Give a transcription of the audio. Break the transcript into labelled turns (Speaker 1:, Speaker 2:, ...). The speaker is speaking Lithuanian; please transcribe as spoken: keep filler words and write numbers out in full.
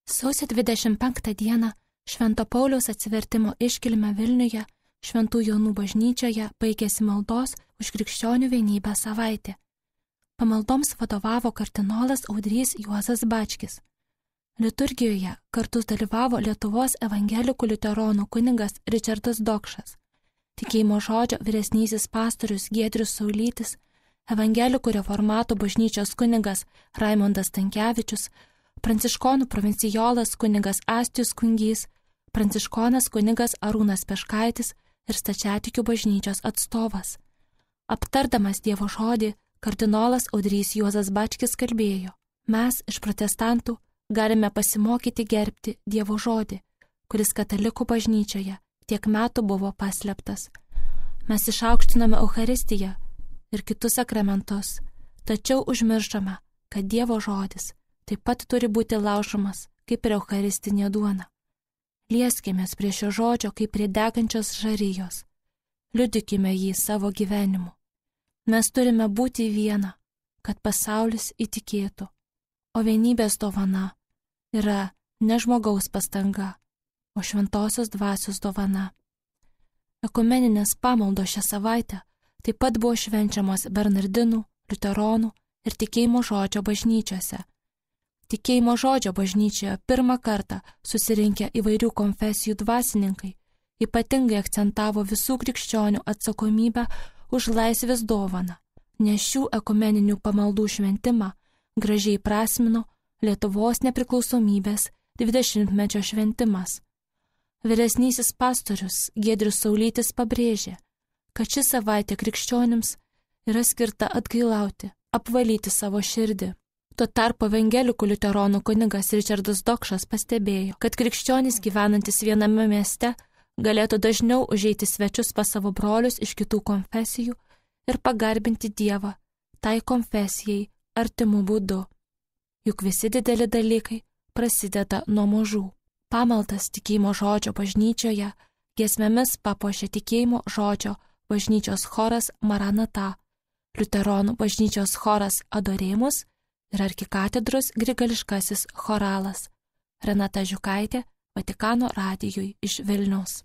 Speaker 1: Sausio dvidešimt penktą dieną Švento Pauliaus atsivertimo iškilme Vilniuje, Šventų Jonų bažnyčioje baigėsi maldos už krikščionių vienybę savaitė. Pamaldoms vadovavo kardinolas Audrys Juozas Bačkis. Liturgijoje kartu dalyvavo Lietuvos evangelikų liuteronų kunigas Ričardas Dokšas, tikėjimo žodžio vyresnysis pastorius Giedrius Saulytis, evangelikų reformatų bažnyčios kunigas Raimondas Stankevičius, pranciškonų provincijolas kunigas Astijus Kungys, pranciškonas kunigas Arūnas Peškaitis ir stačiatikių bažnyčios atstovas. Aptardamas Dievo žodį, kardinolas Audrys Juozas Bačkis kalbėjo: mes iš protestantų galime pasimokyti gerbti Dievo žodį, kuris katalikų bažnyčioje tiek metų buvo paslėptas. Mes išaukštiname Eucharistiją ir kitus sakramentus, tačiau užmirštame, kad Dievo žodis taip pat turi būti laužomas kaip ir eucharistinė duona. Lieskimės prie šio žodžio kaip prie degančios žarijos. Liudykime jį savo gyvenimu. Mes turime būti viena, kad pasaulis įtikėtų, o vienybės dovana yra ne žmogaus pastanga, o šventosios dvasios dovana. Ekumeninės pamaldos šią savaitę taip pat buvo švenčiamos Bernardinų, liuteronų ir tikėjimo žodžio bažnyčiose. Tikėjimo žodžio bažnyčioje pirmą kartą susirinkę įvairių konfesijų dvasininkai ypatingai akcentavo visų krikščionių atsakomybę už laisvės dovaną, nes šių ekumeninių pamaldų šventimą gražiai prasmino Lietuvos nepriklausomybės dvidešimtmečio šventimas. Vyresnysis pastorius Giedrius Saulytis pabrėžė, kad ši savaitė krikščionims yra skirta atgailauti, apvalyti savo širdį. Tuo tarpu evangelikų liuteronų kunigas Ričardas Dokšas pastebėjo, kad krikščionys gyvenantis viename mieste galėtų dažniau užeiti svečius pas savo brolius iš kitų konfesijų ir pagarbinti Dievą tai konfesijai artimų būdu. Juk visi dideli dalykai prasideda nuo mažų. Pamaldas tikėjimo žodžio bažnyčioje giesmėmis papuošė tikėjimo žodžio bažnyčios choras Maranata, liuteronų bažnyčios choras Adoremus ir arkikatedros grigališkasis choralas. Renata Žiukaitė, Vatikano radijui iš Vilniaus.